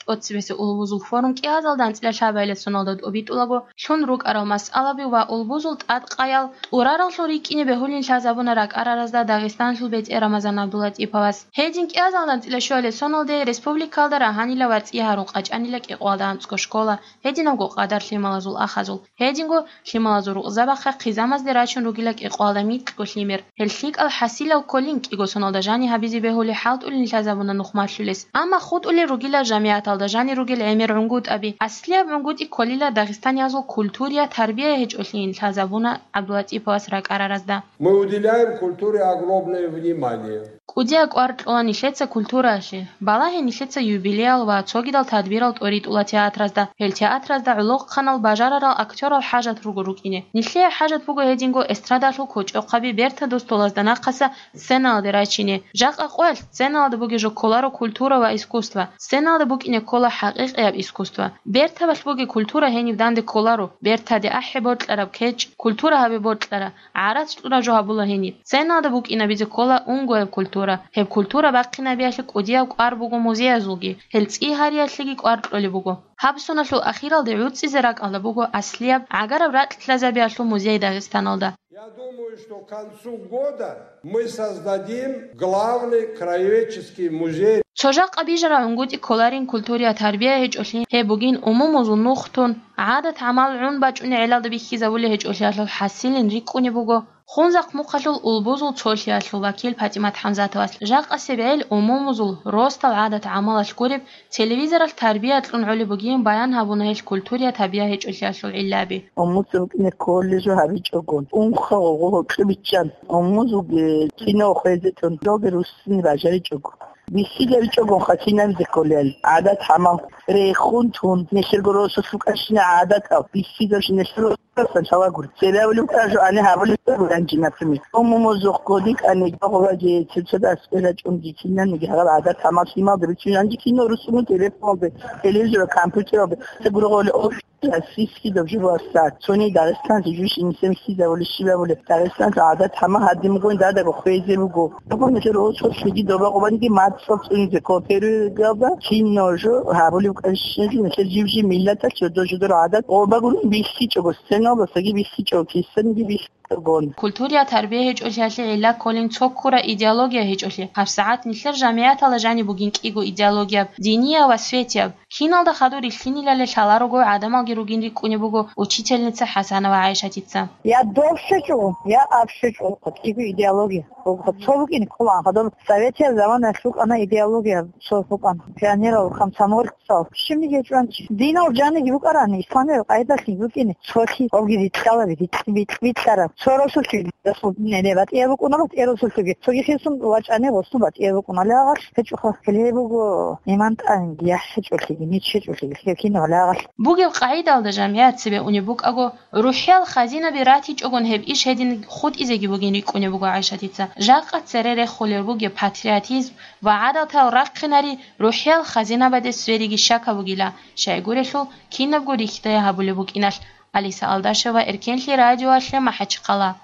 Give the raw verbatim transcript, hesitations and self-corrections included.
тӀоцебесеб улбузул форум кӀиазалда анцӀила лъабабилеб соналда тӀобитӀулаго лъун рукӀарал масъалаби ва улбузул тӀадкъаял тӀурараллъун рикӀкӀине бегьулин лъазабуна ракӀараразда Дагъистаналъул бетӀер Рамазан ГӀабдуллатӀиповас. Гьедин кӀиазалда анцӀила щуабилеб соналде республикалда рагьанила ва цӀи гьарун къачӀанила кӀикъоялда анцӀго школа, гьединабго къадар лъималазул ахазул, гьединго лъималазул рукъзабахъа хъизамазде рачун ругила кӀикъоялда микьго лъимер. Гьел лъикӀал хӀасилал кколин кӀиго соналда жани гьабизе бегьули хӀалтӀулин лъазабуна нухмалъулес. Амма хутӀулел ругила жамигӀаталда жани ругел гӀемер гӀунгутӀаби. Аслияб гӀунгутӀи кколила дагъистаниязул культурия, тарбия гьечӀолъиин лъазабуна ГӀабдулатӀиповас ракӀараразда. Мы уделяем культуре огромное внимание. КӀудияб кӀвар кьола нилъеца культураялъе. Балагье нилъеца юбилеял ва цогидал тадбирал тӀоритӀула театразда. Гьел театразда гӀолохъанал бажарарал актёрал хӀажат руго рукӀине. Нилъее хӀажат буго гьединго эстрадалъул кочӀохъаби бертадул столазда нахъаса сценалде рачине. Жакъа къоялъ сценалда бугеб жо кколаро культура ва искусство. Сценалда букӀине ккола хӀакъикъияб искусство. Бертабалъ бугеб культура гьениб данде кколаро. Бертаде ахӀи бокьараб кечӀ, культура гьабе бокьара. ГӀарац кьураб жо гьабула гьениб. Сценалда букӀинабизе ккола унгояб культура. Гьеб культура бахъинабиялъе кӀудияб кӀвар буго музеязулги, гьел цӀи гьариялъеги кӀвар кьолеб буго. Гьаб соналъул ахиралде гӀуцӀизе ракӀалда буго аслияб гӀагараб ракьлъазабиялъул музей Дагъистаналда. Я думаю, что к концу года мы создадим главный краеведческий музей. Цо жакъа бижараб гӀунгутӀи кколарин культурия тарбия гьечӀолъи, гьеб бугин умумузул нух тун, гӀадат-гӀамал гӀун бачӀуней гӀелалда бихьизабулей гьечӀолъиялъул хӀасилин рикӀкӀунеб буго Хунзахъ-Мухъалъул улбузул цолъиялъул вакил ПатӀимат ХӀамзатовас. Жакъасеб гӀел умумузул росдал гӀадат-гӀамалалъ гуреб, телевизоралъ тарбия кьун гӀолеб бугин баян гьабуна гьел культурия тарбия гьечӀолъиялъул гӀиллаби. Умуца букӀине колледжо гьабичӀого, унха гъогъо гьоркье биччан, умузулги кино хвезетун, жоги руссини бажаричӀого. БихьизабичӀогонха кинабизе кколел гӀадат-гӀамал рехун тун, нилъерго росулъ рукӀанщина гӀадатал, бихьизабщина нилъер росулъ лъалагури. Цебе абулеб кӀажу ани гьабулеб ранжи, например. Умумузухъ годикӀани гъобаги цебцад аскӀве рачӀунги кинаниги гьаб гӀадат-гӀамал лъималда бицун ранжи кино русуну телефоналде, телевизор, компьютералде, цебе гургъоли офис. Российский доб жугьуса, цони Дагъистанлъи жуж инсен хьизабули щибабули, Дагъистанлъи гӀадат гьама гьадин бугони дадаго хвезе буго. Буго нилъер росулъ лъиги доба къубаниги мацӀал цӀунизе кооперуйгалда, кино жо гьабулев кӀанщинчи нилъер жив-жив миллаталъ жодор-жодор гӀадат къобагурун бихьичӀого, сценалдасаги бихьичӀого, кисаниги бихьичӀого. Культурия тарбия гьечӀолъиялъе гӀилла кколин цо ккура идеология гьечӀолъи. ГьабсагӀат нилъер жамигӀатала жаниб бугин кӀиго идеологияб, динияв ва светияб. Киналда хадур рилълъинилали лъаларого гӀадамалги ругин рикӀкӀунеб буго учительница ХӀасанова ГӀайшатица. Я дов щвечӀого, я аб щвечӀого, кӀиго идеология. Цо букӀине кколаан хадур советиял заманаялъ рукӀана идеология, цо букӀана пионерал, комсомольцал, щибниги гьечӀо гьанчи. Динал жаниги букӀарани, исламиял къайдалъи букӀине, цолъи, гьобги рикьалаби, рикь-, рикь-, рикьараб. Цо росулъги, росул нене батӀияб букӀунаро, батӀияб росулъги. Цоги хисун вачӀани, гъосун батӀияб букӀуналиагъалъ гьечӀоха. Гьеле буго иман тӀамиги, яхӀ гьечӀолъиги, нич гьечӀолъиги, лъикӀ кинабалиагъалъ. Бугеб къагӀидалда жамигӀат цебе унеб букӀаго, рухӀиял хазинаби ратичӀогон гьеб иш гьедин хутӀизеги бугин рикӀкӀунеб буго ГӀайшатица. Жакъа цере рехулел ругеб патриотизм ва гӀадатал рахъинари рухӀиял хазинабаде свериги щакаб бугила, щайгурелъул кинабго рихьдая гьабулеб букӀиналъ. Алиса Алдашева, Эркенлъи радиоялъе, МахӀачхъала.